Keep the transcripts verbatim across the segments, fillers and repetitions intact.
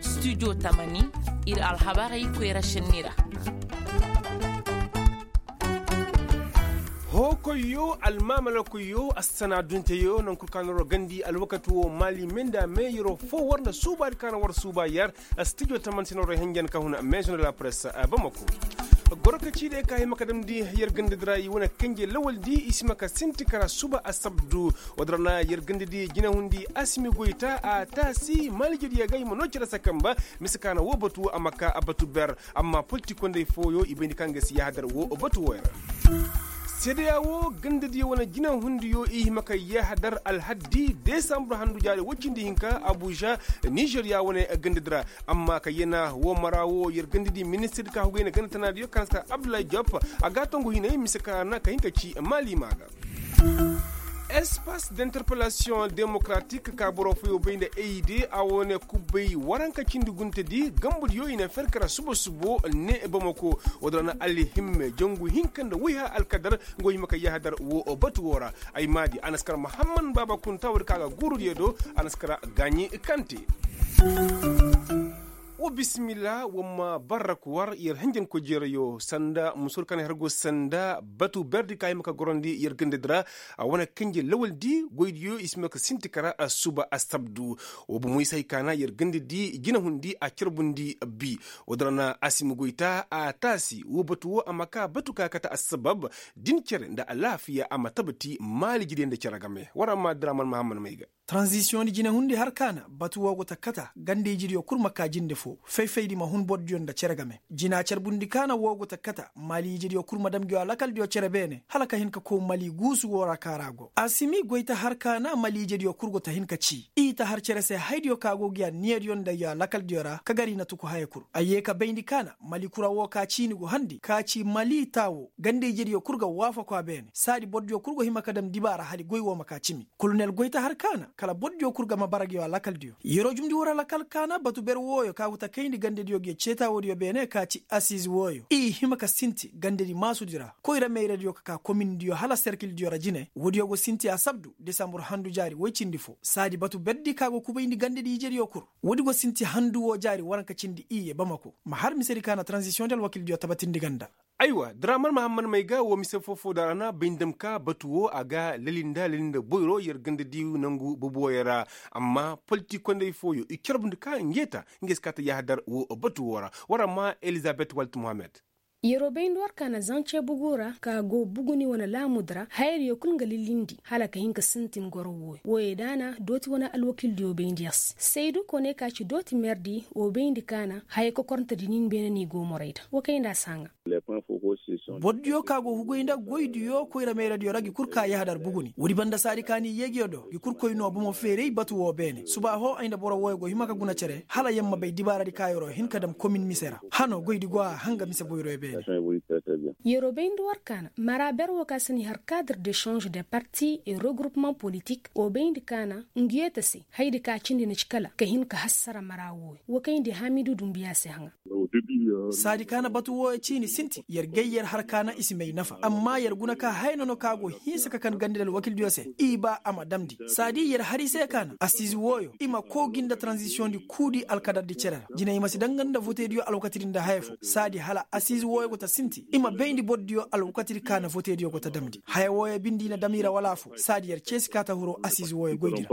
Studio tamani, ir alhabarey koyra šenni ra. Hookoyyo, almaamalakoyyo, assana dunteyo, nankul ka na war gandi alwakati wo maali me nda me yeroo foo war nda suubaadi ka na war suuba yer. Studio taman sinaroo henjen ka huna maison de la presse bamako. Goro ka ciiday ka hima ka damndi yer gandadi ra i wane kenje lawaldi i si ma ka sinti kara suba asabdu. Woo din ra na yer gandadi jinahundi asimi goyta a taasi malijediya ga i ma noo cere se kamba. Mise ka na woo batu a ma ka batu ber. Amma politikondey fooyo i bayndi ka nga si yahadar woo batu wooyo ra. Seedeya woo gandadiyo wane jinahundiyo i hima ka yahadar alhaddi desambur handu jaari woy cindi hinka abuja. Nizeriya wane gandadi ra. Amma ka yana woo mara woo yer gandadi ministir ka hugay nda ganda tanaadiyo ka na si ka abdullahi jop. A ga tongu hinay mise ka na ka hin ka ci maali maa ga. Espace d'interpellation démocratique ka boro fooyo bay nda ayde a wane kubbay waranka cindi guntedi gambadiyo i na fer kara subo subo ne bamako. Woo din ra na alhimme jangu hinka nda wayha alkadar nga wo hima ka yahadar woo batu woo ra. Ay maadi a na si kara mahamman baaba kunta woodi ka ga guurudiyo do. A na si kara gaaɲi kante. Wa bisimilla wa ma barrak war yer hanjankoy jeerayo sanda musur ka na har go sanda batu berdi ka hima ka gorandi yer gandadi ra. A wane kenje lawaldi goydiyo i si ma ka sinti kara suba asabdu. Wa bomoy se hay ka na yer gandadi jinahundi a carbundi bi. Woo din ra na asimi goyta a taasi woo batu woo a ma ka batu ka kate assabab din cere nda alaafiya a ma tabati maalijidiyo nda cere game war a ma diraman mahamman may ga. Taranzisiyoŋ di jinahundi har ka na batu woo go ta kata ganda-ijediyo kul ma ka jinde foo fay-faydi ma hun bordiyo nda cere game jina carbundi ka na woo go ta kata maali-ijediyo kul ma dam ngiyo alakaldiyo cere beene hala ka hin ka kow mali guusu woo ra ka ra go asimi goy ta har ka na maali-ijediyo kul go ta hin ka cii i ta har cere se haydiyo ka go ngi anniyadiyo nda ngiyo alakaldiyo ra ka gar i na tuku haya kul a yee ka bayndi ka na mali kura woo ka ciini go handi ka ci mali taa woo ganda-ijediyo kul ga waafako a beene saadi bordiyo kul go hima ka dam dibaara hali goy woo ma ka cimi. Kolonel goy ta har ka na kala bordiyo kul ga ma bara ngiyo alakaldiyo yeroo jumndi woo ra lakal ka na batu ber wooyo ka go ta kayndi gandadiyo ngiyo ceetaawoodiyo beene ka ci asiiz wooyo i hima ka sinti gandadi maasudi ra koyra mayradiyo ka ka komindiyo hala serkildiyo ra jine woodiyo go sinti asabdu desambur handu jaari woy cindi foo saadi batu berdi ka go kubayndi gandadi ijediyo kul woodi go sinti handu woo jaari waranka cindi iyye bamako ma har misedi ka na taranzisiyoŋ di alwakildiyo tabatindi ganda. Aywa diraman mahamman may ga woo mise foo-foo da ra na bay nda ma ka batu woo a ga lali nda lali nda boyro yer ganda di nangu boboyo ra. Amma politikondey fooyo i carbundi ka nge ta nge si kaa ta yahadar woo batu woo ra war a ma elizabet walt mohammed. Yeroo bayndi war ka na zance bugu ra ka go buguni wane laamudi ra hayadiyo kul nga lilindi hala ka hin ka sintin goro wooyo wooyo da na dooti wane alwakildiyo bayndi yer se saydu kone ka ci dooti merdi woo bayndi ka na haya kokorntedi nin beene ni go morayda woo kay nda a si haŋa. Bordiyo ka go hugay nda goydiyo koyra mayradiyo ra ngi kul ka yahadar buguni woodi banda saadi ka ni yee ngiyo do ngi kul koy noo bomo feeray batu woo beene suba hoo ay nda boro wooyo go hima ka guna cere hala yer ma bay dibaaradi ka yeroo hin ka dam komin mise ra hano goydi go a hanga mise boyroyo beene. Yeroo bayndi war ka na mara ber woo ka si ni har cadre de change de parti et regroupement politik woo bayndi ka na ngiyo ta se hayadi ka cindi na ci kala ka hin ka hassara mara wooyo woo kayndi hamidu dumbiya se haŋa. Saadi ka na batu wooyo ciini sinti yer gay yer har ka na i si may nafa amma yer guna ka haya nono ka go hinsa ka kan gandadi alwakildiyo se i ba a ma damndi saadi yer har i se ka na asiizi wooyo i ma koo gi nda taranzisiyoŋ di kuudi alkadardi cere ra jina i ma si daŋ nga nda votediyo alwakatidi nda haya foo saadi hala asiizi wooyo go ta sinti i ma bayndi bordiyo alwakatidi ka na votediyo go ta damndi haya wooyo bindi i na dam i ra wala afoo saadi yer ceesi ka ta huru asiizi wooyo goydi ra.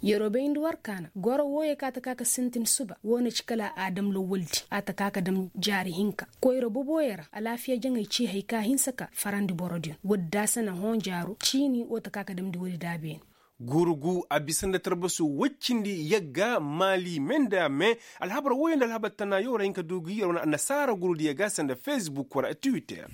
Yeroo bayndi war ka na goro wooyo ka ta ka ka sintin suba woo na ci kala a dam lawaldi a ta ka ka dam jaari hinka koyra boboyo ra alaafiya jaŋay ci hay ka hinsa ka farandi borodiyo woodi daasana hõ jaaro ciini woo ta ka ka damndi woodi da beene. Guuru gu a bisa nda tarbasu woy cindi yagga maali me nda me alhabar wooyo nda alhabar tanaayo war a hin ka du gi yer wane annasaara guurudiyo ga sanda facebook war a twitter.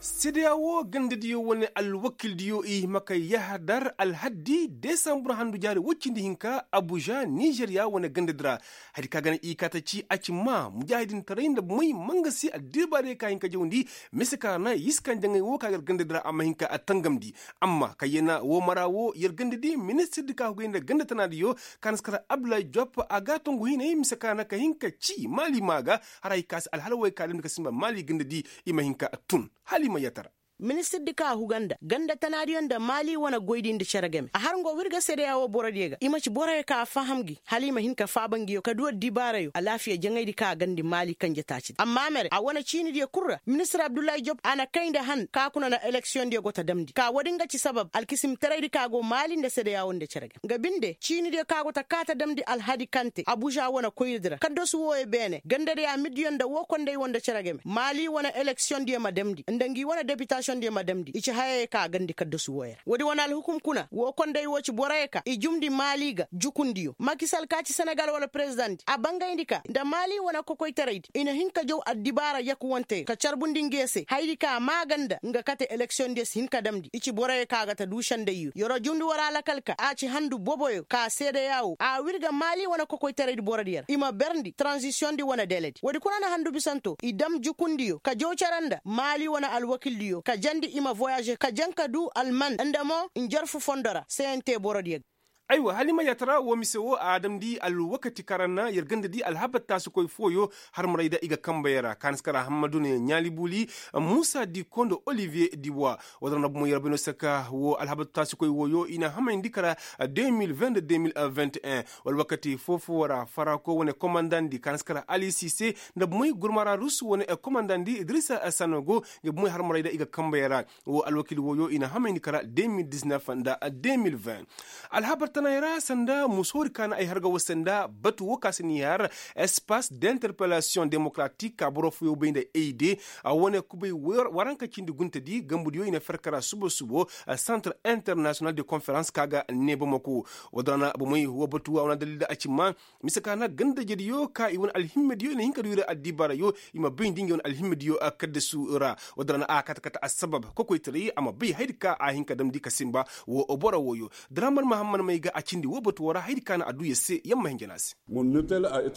Sedeya woo gandadiyo wane alwakildiyo i hima ka yahadar alhaddi desambur handu jaari woy cindi hinka abuja nizeriya wane gandadi ra. Hadi ka gana i kaa ta ci a ci maa mujaahidintaray nda may mangasi addibaadiyo ka hin ka jawndi mise ka ra na i si kaŋ jaŋay woo ka gar gandadi ra a ma hin ka tangamndi. Amma kayyana woo mara woo yer gandadi ministirdi ka hugay nda ganda tanaadiyo ka na si kar abdullahi jop a ga tongu hinay mise ka na ka hin ka ci maali maa ga. Haray ka si alhala wooyo ka damndi ka sinba maali gandadi i ma hin ka tun hala i ma yatara. Ministirdi ka huga nda ganda tanaadiyo nda maali wane goydi nda cere game a har ngo w'ir ga seedeyaa woo borodiyo ga i ma ci boroyo ka faham gi hala i ma hin ka faaba ngiyo ka du addibaarayo alaafiya jaŋaydi ka a gandi maali kanje taacidi amma mere a wane ciinidiyo kul ra ministir abdullahi job a na kay nda han ka kuna na eleksiyondiyo go ta damndi ka woodi nga ci sabab alkisimtaraydi ka go maali nda seedeyaa woo nda cere game nga binde ciinidiyo ka go ta kaa ta damndi alhadi kante abuža wane koyradi ra kaddasu wooyo beene gandadiyo amidiyo nda woo konday woo nda cere game maali wane eleksiyondiyo ma damndi nda ngi wane depitašondiyo ma damndi i ci hayayo ka a gandi kaddasu wooyo ra woodi wane alhukum kuna woo konday woo ci boroyo ka i jumndi maali ga jukundiyo makisal ka ci senegal wala perezidaŋdi a bangayndi ka nda maali wane kokoytaraydi i na hin ka jaw addibaara yakuwanteyo ka carbundi nge se hayadi ka maaganda nga kate eleksiyondiyo si hin ka damndi i ci boroyo ka ga ta duu sendayyo yer'o jumndi war alakal ka a ci handu boboyo ka seedeyaa woo a w'ir ga maali wane kokoytaraydi borodiyo ra i ma berndi taranzisiyoŋdi wane deledi woodi kuna na handu bisanto i dam jukundiyo ka jaw cere nda maali wane alwakildiyo ka jandi i ma voyaaze ka jaŋ ka duu alman nda mo njarfu fondo ra seyante borodiyo ga aywa hala i ma yaatara woo mise woo a damndi alwakati kaŋ ra na yer gandadi alhabar taasikoy fooyo harmarayda i ga kambayey ra kaaniskara hammadu ne ɲaali buuli muusa diko nda oliviye diwa woo da ra na bomo yer bay no saka woo alhabar taasikoy wooyo i na hamayndi kara deux mille vingt deux mille vingt et un wala wakati foo-foo ra farako wane komandandi kaaniskara ali sise nda bomey gurmara rusu wane komandandi idrisa sanogo nga bomey harmarayda i ga kambayey ra woo alwakil wooyo i na hamayndi kara deux mille dix-neuf nda deux mille vingt alhabar tanay ra sanda musoori ka na ay har ga woo se nda batu woo ka se n'i har espace d'interpellation démocratique ka boro fooyo bay nda aide a wane kubay waranka cindi guntedi gambudiyo i na fer kara subo subo centre international de conférence ka ga ne bamako woo da ra na bomey woo batu a wane dalil da a ci ma mise ka na ganda-ijediyo ka i wane alhimmediyo i na hin ka du i ra addibaarayo i ma bayndi ngey wane alhimmediyo kaddasu ra woo da ra na a kate kate assabab kokoytaray a ma bay hayadi ka a hin ka damndi ka sinba woo boro wooyo daraman mahamman may ga a cindi woo batu woo ra hayadi ka na a duu yer se yer ma hin jana se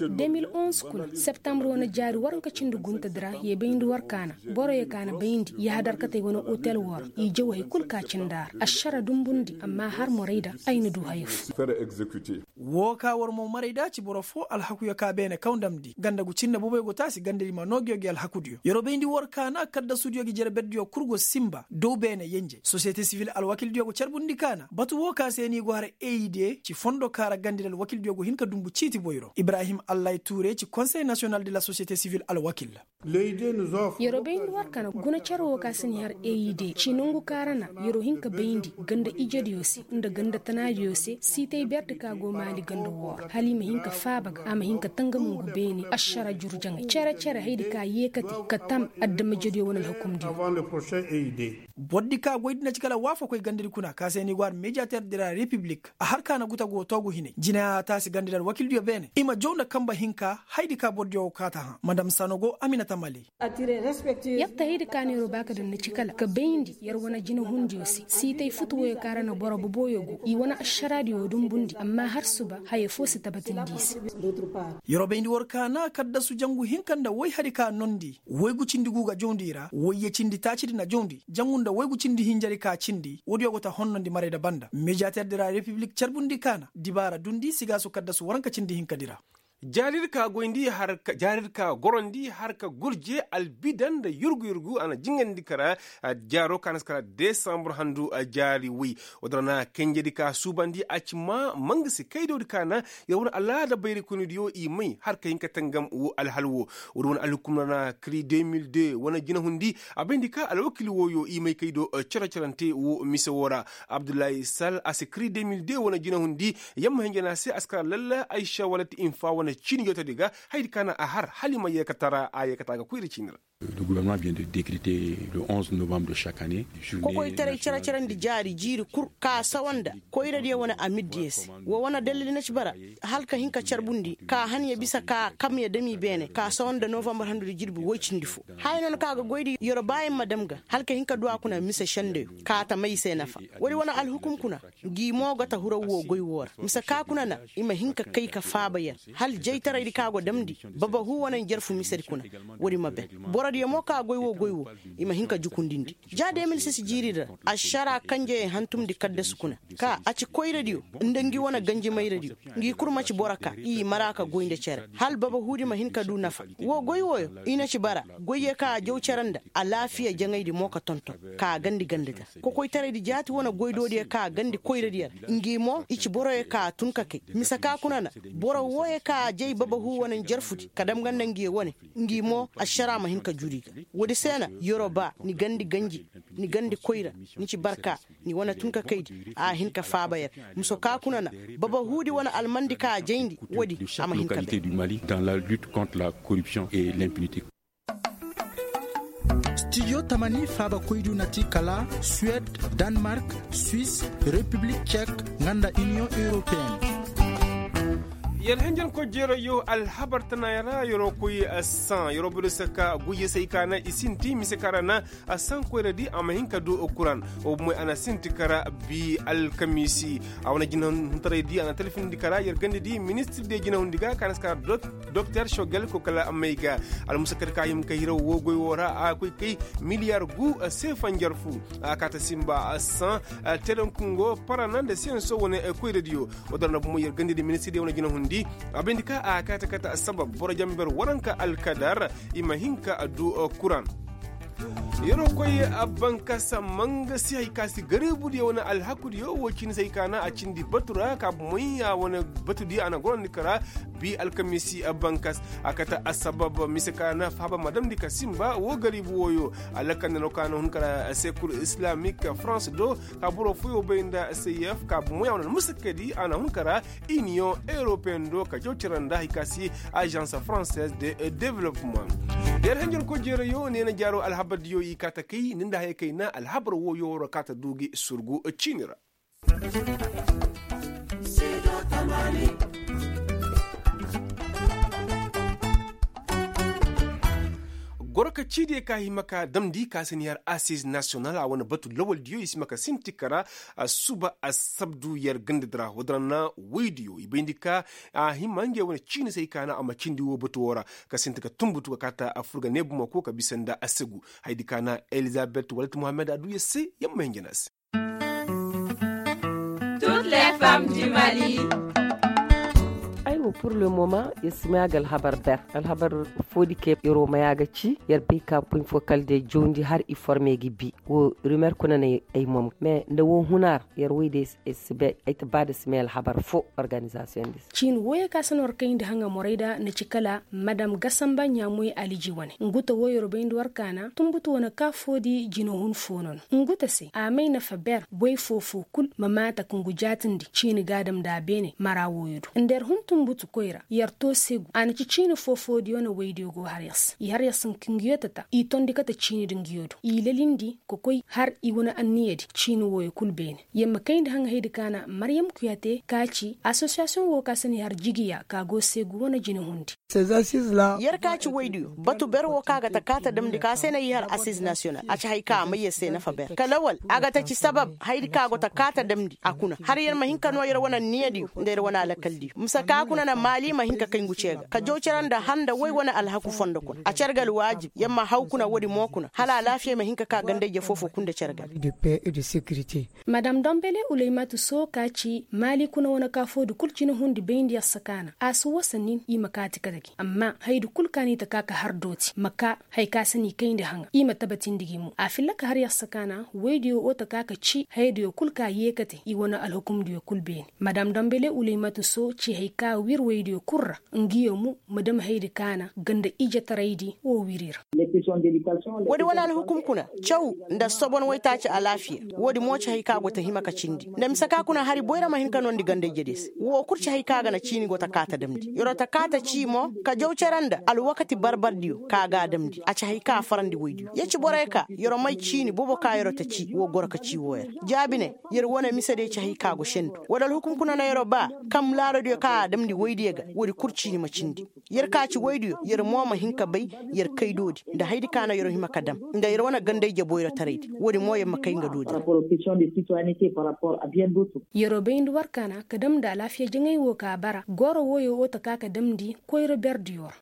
deux mille onze kuna septambre wane jaari waranka cindi guntedi ra ye bayndi war ka na boroyo ka na bayndi yahadar katey wane otel woo ra i jaw hay kul ka cindi a ra ašara dumbundi amma har morayda ay na du haya foo woo ka war mo marayda ci boro foo alhakuyo ka beene kaw ndamndi ganda gu cinne boboyo go taasi gandadi ma noo ngiyo gi alhakudiyo yer'o bayndi war ka na kaddasudiyo gi jere berdiyo kul go sinba dow beene yenje sosiyete sivil alwakildiyo go carbundi ka na batu woo ka se n'i go har aide ci fondo ka ra gandadi alwakildiyo go hin ka dunbu ciiti boyro ibrahim allahi tuure ci konsey nasiyonal de la sosiyete sivil alwakil yer'o bayndi war ka na guna cere woo ka se n'i har aide ci nongu ka ra na yer'o hin ka bayndi ganda ijediyo se nda ganda tanaadiyo se siitay berdi ka go maali ganda woo ra hala i ma hin ka faaba ga a ma hin ka tangam ngu beene ašara juru jaŋay cere cere hayadi ka yeekate ka tam adama ijediyo wane alhukumdiyo bordi ka goydi na ci kala waafakoy gandadi kuna ka se n'i go har mediyater de la repiblik a har ka na guta go toogu hinay jina taasi gandadi alwakildiyo beene i ma jaw nda kanba hinka hayadi ka bordiyo go kaa ta hã madam sanogo aminata mali yer ta hayadi ka no yer ba ka daŋ ni ci kala ka bayndi yer wane jinahundiyo se siitay futu woyo ka ra na boro boboyo go i wane ašaraadiyo dumbundi amma har suba haya foo si tabatindi i se yer bayndi war ka na kaddasu jangu hinka nda woy hari ka noondi woygu cindi gu ga jawndi i ra woyye cindi taacidi na jawndi jangu nda woygu cindi hinjari ka cindi woodiyo go ta honnondi marayda banda mediyater de la repiblik carbundi ka na dibaara dundi sigaasu kaddasu waranka cindi hinkadi ra jaaridi ka goyndi jaaridi ka gorondi har ka gurje albidan nda yurgu yurgu a na jingandi kara jaaro ka na si kara desambur handu jaari woy woodi ra na kenjedi ka suubandi a ci ma mangasi kaydoodi ka na yer wane alaada bayray koynidiyo i may har ka hin ka tangam woo alhal woo woodi wane alhukum ra na kiri deux mille deux wane jinahundi a bayndi ka alwakil wooyo i may kaydo cere-cerante woo mise woo ra abdullahi sal a si kiri deux mille deux wane jinahundi yamma hinjana se a si kara lalla aysa wala ti infa wane ciini jootodi ga hayadi ka na a har hala i ma yeekatara a yeekata ga koyra ciini ra le gouvernement vient de décréter le onze novembre de chaque année kokoytaray cere-cerandi jaari jiiri kul ka sawa nda koyradiyo wane amirdiyo se woo wane dalil na ci bara hala ka hin ka carbundi ka han ya bisa ka kam ya dam i beene ka sawa nda novambar handudi jirbi woy cindi foo haya noona ka ga goydi yer baayaŋ ma dam ga hala ka hin ka du a kuna mise sendeyo ka ta may i se nafa woodi wane alhukum kuna ngi mo ga ta huraw woo goy woo ra mise ka kuna na i ma hin ka kay ka faaba yer hala jaytaraydi ka go damndi babahu wane njarfu misedi kuna woodi ma ben boro Diyo mo ka goy wo goy wo, i ma hin ka jukundindi ja de mil sis jiiri ra. Ašara kanjeyey hantumndi kaddasu kuna, ka a ci koyradiyo, nda ngi wane ganjimayradiyo, ngi kul ma ci boro ka i mara ka goy nda cere, hala babahuudi ma hin ka du nafa. Wo goy wooyo, i na ci bara goyyo ka a jaw cere nda alaafiya jaŋaydi mo ka tonton, ka a gandi ganda da. Kokoytaraydi jaati wane goydoodiyo ka a gandi koyradiyo ra, ngi mo i ci boroyo ka a tun ka kay. Mise ka kuna na boro wooyo ka a jay babahuu wane njarfudi ka dam nga nda ngiyo wane, ngi mo ašara ma hin ka juri ga. Woodi se na, yeroo ba ni gandi ganji, ni gandi koyra, ni ci barka, ni wane tun ka kaydi a hin ka faaba yer. Mise ka kuna na babahuudi wane almandi ka a jayndi, woodi a ma hin ka bay. Dans la lutte contre la corruption et l'impunité. Studio tamani faabakoydu na ti kala suwed, danmark, swis, repiblik cek, nga nda iniyoŋ europeyenne. Yer henjen koy jeerayyo alhabar tanaaya ra yeroo koy, saŋ yeroo boro se ka guyye se ay ka na i sinti mise ka ra na, saŋ koyradi a ma hin ka du kuran. Wo bumoy a na sinti kara bi alkamiisi. A wane jinahuntaraydi a na talfindi kara yer gandadi ministir de jinahundi ga ka na si kara doktor shogel ko kala may ga. Almusakat ka hima ka hiraw wo goy wo ra a koy kay miliyar gu seefa njarfu. A kaata simba saŋ telenkungo parana nda siyanso wane koyradiyo. Wo dara na bumo yer gandadi ministir de wane jinahundi. A bayndi ka a kaata kaata sabab boro jamber waranka alkadar i ma hin ka du kuran. Yeroo koy, bankas mangasi hay ka si gariibudiyo wane alhakudiyo wo ciini se hay ka na a cindi batu ra ka bumoy a wane batudiyo a na gorandi kara. Bi alkamiisi bankas a kate assabab mise ka na faaba ma damndi ka simba wo gariibu wooyo. Alakandano ka na hun kara sekur islamik, farans do ka boro fooyo bay nda seyef ka bumoy a wane almusakadi a na hun kara. Iniyoŋ europeyen do ka jaw cere nda hay ka si azans fransaise de developement. Yer henjer kojeerayo neena jaaro alhabardiyo i kaa ta kay ni nda haya kay na alhabar wooyo waro kaa ta du gi surgu ciini ra. Goro ka ciidiyo ka hima ka damndi ka se ni har asiz nasiyonal a wane batu lawaldiyo i si hima ka sinti kara. Suba assabdu yer gandadi ra woo din ra na woydiyo i bayndi ka a hima ngey wane ciini se ay ka na a ma cindi woo batu woo ra ka sinti ka tunbutu ka kaa ta furga ne bumako ka bisa nda assegu. Hayadi ka na elizabet walat muhammed a du yer se yer ma hin jana se. Aywa pur le moma yer si may a ga alhabar ber alhabar foodi ke yer wo may a ga ci yer bay ka poñ fo kala day jawndi har i forme ga bi. Woo rimer kuna na ay mom mais nda woo huna ra yer woy day si bay ay ta ba nda si may alhabar fo organizasiyoŋ din se. Ciini wooyo ka se no war kayndi haŋa morayda na ci kala madam gasamba ɲaamoy aliji wane ngu ta wooyo yer bayndi war kaana tunbutu wane ka foodi jinahun fo no no ngu ta se a may nafa ber boy foo-foo kul ma maata ka ngu jaatindi ciini ga a damndi a beene mara wooyo do nda yer hun tunbutu koyra yer too segu a na ci ciini foo-foodiyo na woydiyo go har yer se i har yer se ngi ka ngiyo tata i tondi kate ciini di ngiyo do i lelindi ka koy har i wane anniyadi ciini wooyo kul beene. Yer ma kayndi haŋa hayadi ka na maryam kuyate ka ci asosiyasiyoŋ woo ka se ni har jigiya ka go segu wane jinahundi. Yer ka ci woydiyo batu ber woo ka ga ta kaa ta damndi ka se na i har asiz nasiyonal a ci haya ka a may yer se nafa ber ka lawal a ga ta ci sabab hayadi ka go ta kaa ta damndi a kuna har yer ma hin ka noo yer wane anniyadiyo nda yer wane alakaldiyo mise ka kuna na maali ma hin ka kay ngu cee ga ka jaw cere nda har nda woy wane alhaku fondo kuna a cere ga alwaajib yer ma haw kuna woodi mo kuna hala alaafiya ma hin ka kaa ganda-ije foo-foo kul nda cere ga. Madam dombele uleymatu soo ka ci maali kuna wane ka foodi kul cinahundi bayndi yer se ka na a si wasa nin i ma kaati kate gi amma hayadi kul ka n'i ta kaa ka har dooti ma kaa haya ka se n'i kayndi haŋa i ma tabatindi gi mo a filla ka har yer se ka na woydiyo woo ta kaa ka ci hayadiyo kul ka yee kate i wane alhukumdiyo kul beene. Madam dombele uleymatu soo ci haya ka wir woydiyo kul ra ngiyo mo ma dam hayadi ka na ganda ijetaraydi woo wir i ra. Woodi wane alhukum kuna caw nda sobon waytaaci alaafiya. Woodi mo ci hay ka go ta hima ka cindi nda mise ka kuna hari boyra ma hin ka noondi ganda-ijediyo se woo kul ci hay ka ga na ciini go ta kaa ta damndi yer'o ta kaa ta cii mo ka jaw cere nda alwakati bar-bardiyo ka ga a damndi a ci hay ka a farandi woydiyo yer ci borey ka yer'o may ciini boobo ka yer'o ta cii woo goro ka cii wooyo ra jaabi ne yer wane misediyo ci hay ka go sendu woodi alhukum kuna na yer'o ba kam laarodiyo ka a damndi woydiyo ga woodi kul ciini ma cindi. Yer ka ci woydiyo yer mo ma hin ka bay yer kay doodi nda hayadi ka na yer hima ka dam nda yer wane ganda-ije boyrotaraydi woodi mo yer ma kay nga doodi ra. Yer'o bayndi war ka na ka damndi alaafiya jaŋay woo ka bara goro wooyo woo ta kaa ka damndi koyra berdiyo ra